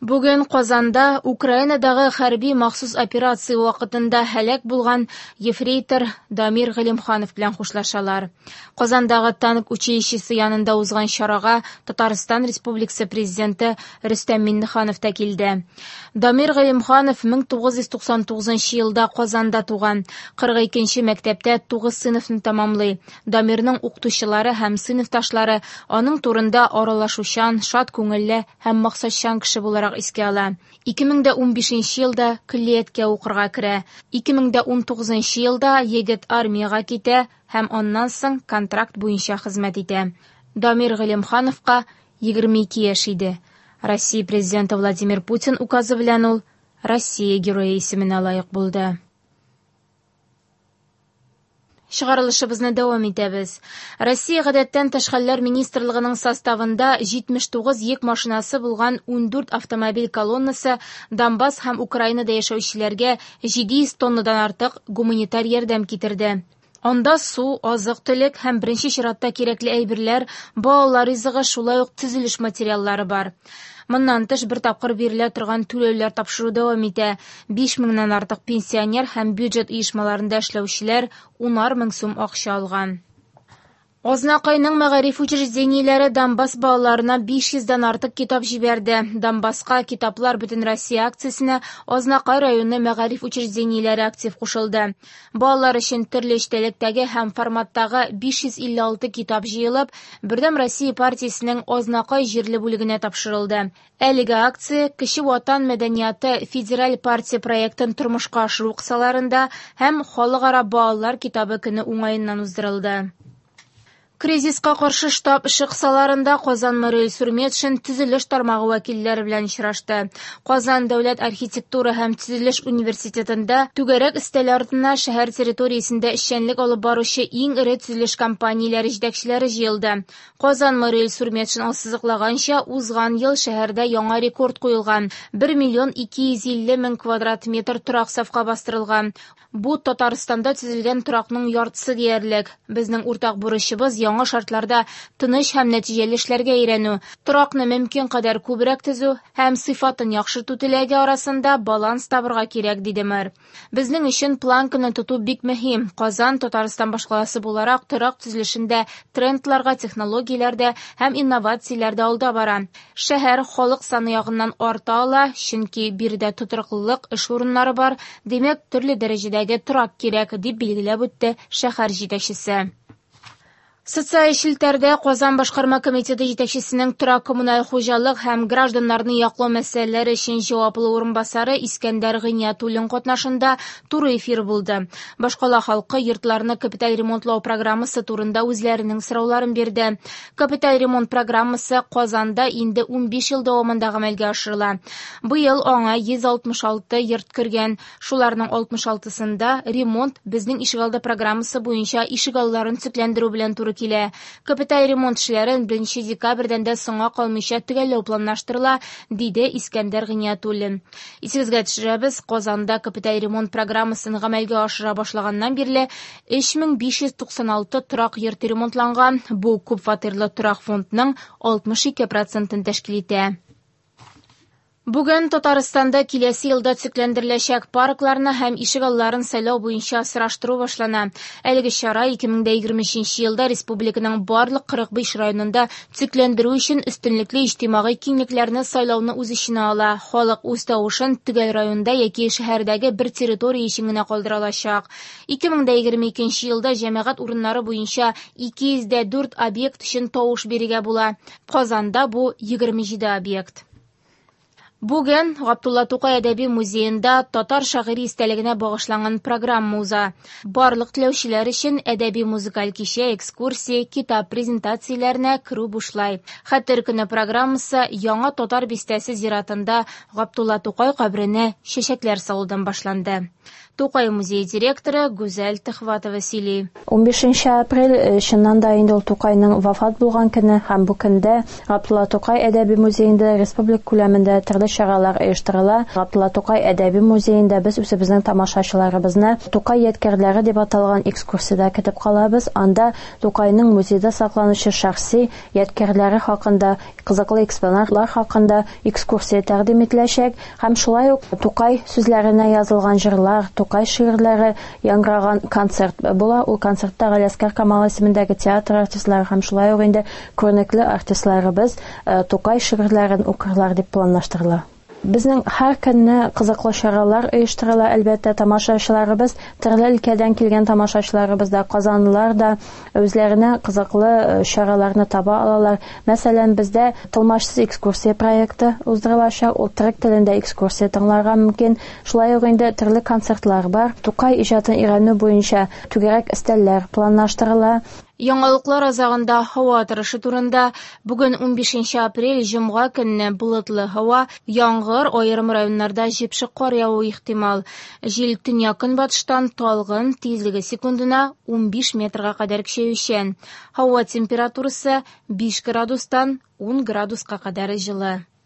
Бүген Казанда Украинадагы хәрби махсус операция вакытында һәлак булган ефрейтор Дамир Гыйлемханов белән хушлашалар. Казандагы танк училищесы янында узган чарага Татарстан Республикасы Президенты Рөстәм Миңнеханов та килде. Дамир Гыйлемханов 1999 елда Казанда туган. 42 нче мәктәптә 9 сыйныфны тәмамлый. Дамирның укытучылары һәм сыйныфташлары аның турында аралашучан, шат күңелле һәм максатчан кеше буларак искә ала. 2015 елда көллияткә укырга керә. 2019 елда егет армиягә китә һәм аннан соң контракт буенча хезмәт итә. Дамир Гыйлемхановка 22 яшь иде. Россия Президенты Владимир Путин указы белән ул Россия Герое исеменә лаек булды. Чыгарылышыбызны дәвам итәбез. Россия Гадәттән тыш хәлләр министрлыгының составында 79 йөк машинасы булган 14 автомобиль колоннасы Донбасс һәм Украинада яшәүчеләргә 700 тоннадан артык гуманитар ярдәм китерде. Анда су, азык-төлек һәм беренче чиратта кирәкле әйберләр, балалар ризыгы, шулай ук төзелеш материаллары бар. Моннан тыш, бер тапкыр бирелә торган түләүләр тапшыру дәвам итә. 5 меңнән артык пенсионер һәм бюджет оешмаларында эшләүчеләр унар мең сум акча алган. Азнакайның мәгариф учреждениеләре Донбасс балаларына 500 дән артык китап җибәрде. Донбасска китаплар Бөтенроссия акциясенә Азнакай районы мәгариф учреждениеләре актив кушылды. Балалар өчен төрле эчтәлектәге һәм форматтагы 556 китап җыелып, Бердәм Россия партиясенең Азнакай җирле бүлегенә тапшырылды. Әлеге акция Кече Ватан мәдәнияты федераль партия проектын тормышка ашыру кысаларында һәм Халыкара балалар китабы көне уңаеннан уздырылды. Кризиска каршы штаб эше кысаларында Казан мэры Илсур Метшин төзелеш тармагы вәкилләре белән очрашты. Казан дәүләт архитектура һәм төзелеш университетында түгәрәк өстәл артына шәһәр территориясендә эшчәнлек алып баручы иң эре төзелеш компанияләре җитәкчеләре җыелды. Казан мэры Илсур Метшин ассызыклаганча, узган ел шәһәрдә яңа рекорд куелган. 1 миллион 250 мең квадрат метр торак сафка бастырылган. Бу Татарстанда төзелгән торакның яртысы диярлек. Безнең уртак бурычыбыз яңа шартларда тыныч һәм нәтиҗәле эшләргә өйрәнү. Торакны мөмкин кадәр күбрәк төзү һәм сыйфатын яхшырту теләге арасында баланс табырга кирәк, диде мэр. Безнең өчен планканы тоту бик мөһим. Казан, Татарстан башкаласы буларак, торак төзелешендә трендларга, технологияләрдә һәм инновацияләрдә алда бара. Шәһәр халык саны ягыннан арта ала, чөнки биредә тотрыклылык, эш урыннары бар, димәк, төрле дәрәҗәдәге торак кирәк, дип билгеләп үтте шәһәр җитәкчесе. Социаль челтәрдә Казан башкарма комитеты җитәкчесенең торак-коммуналь хуҗалык һәм гражданнарны яклау мәсьәләләре өчен җаваплы урынбасары Искәндәр Гыйниятуллин катнашында туры эфир булды. Башкала халкы йортларны капиталь ремонтлау программасы турында үзләренең сорауларын бирде. Капиталь ремонт программасы Казанда инде 15 ел дәвамында гамәлгә ашырыла. Быел аңа 166 йорт кергән. Шуларның 66-сында ремонт Безнең ишегалды программасы буенча ишегалларын төзекләндерү белән туры килә. Капиталь ремонт эшләрен 1 декабрьдән дә соңга калмыйча төгәлләү планлаштырыла, диде Искәндәр Гыйниятуллин. Исегезгә төшерәбез, Казанда капиталь ремонт программасын гамәлгә ашыра башлаганнан бирле 3596 торак йорт ремонтланган, бу күпфатирлы торак фондның 62 процентын тәшкил итә. Бүген Татарстанда киләсе елда төзекләндереләчәк паркларны һәм ишегалларын сайлау буенча сораштыру башлана. Әлеге чара 2023 елда республиканың барлык 45 районында төзекләндерү өчен өстенлекле иҗтимагый киңлекләрне сайлауны үз эченә ала. Халык үз тавышын төгәл районда яки шәһәрдәге бер территория өчен генә калдыра алачак. 2022 елда җәмәгать урыннары буенча 204 объект өчен тавыш бирергә була. Казанда бу 27 объект. Бүген Габдулла Тукай әдәби музеенда татар шагыйре истәлегенә багышланган программа уза. Барлык теләүчеләр өчен әдәби музыкаль кичә, экскурсия, китап презентацияләренә керү бушлай. Хәтер көне программасы Яңа Татар бистәсе зиратында Габдулла Тукай каберенә чәчәкләр салудан башланды. Тукай музее директоры Гүзәл Төхватова сөйли. 15 апрель чыннан да инде ул Тукайның вафат булган көне, һәм бу көндә Габдулла Тукай әдәби музеенда республика күләмендә төрле чаралар оештырыла. Габдулла Тукай әдәби музеенда без үзебезнең тамашачыларыбызны Тукай ядкәрләре дип аталган экскурсиядә көтеп калабыз. Анда Тукайның музейда сакланучы шәхси ядкәрләре хакында, кызыклы экспонатлар хакында экскурсия тәкъдим ителәчәк һәм шулай ук Тукай сүзләренә язылган җырлар, Тукай шигырьләре яңгыраган концерт була. Ул концертта Галиәсгар Камал исемендәге театр артистлары һәм шулай ук инде күренекле артистларыбыз Тукай шигырьләрен укырлар дип планлаштырыла. Безнең һәр көнне кызыклы чаралар оештырыла, әлбәттә, тамашачыларыбыз, төрле өлкәдән килгән тамашачыларыбыз да, казанлылар да үзләренә кызыклы чараларны таба алалар. Мәсәлән, бездә тылмачсыз экскурсия проекты уздырылачак, ул төрек телендә экскурсия тыңларга мөмкин. Шулай ук инде төрле концертлар бар. Тукай иҗатын өйрәнү буенча түгәрәк өстәлләр планлаштырыла. Яңалыклар азагында һава торышы турында. Бүген 15 апрель, җомга көнне болытлы һава, яңгыр, аерым районнарда җепшек кар явуы ихтимал. Җил төньяк-көнбатыштан талгын, тизлеге секундына 15 метрга кадәр көчәючән. Һава температурасы 5 градустан 10 градуска кадәр җылы.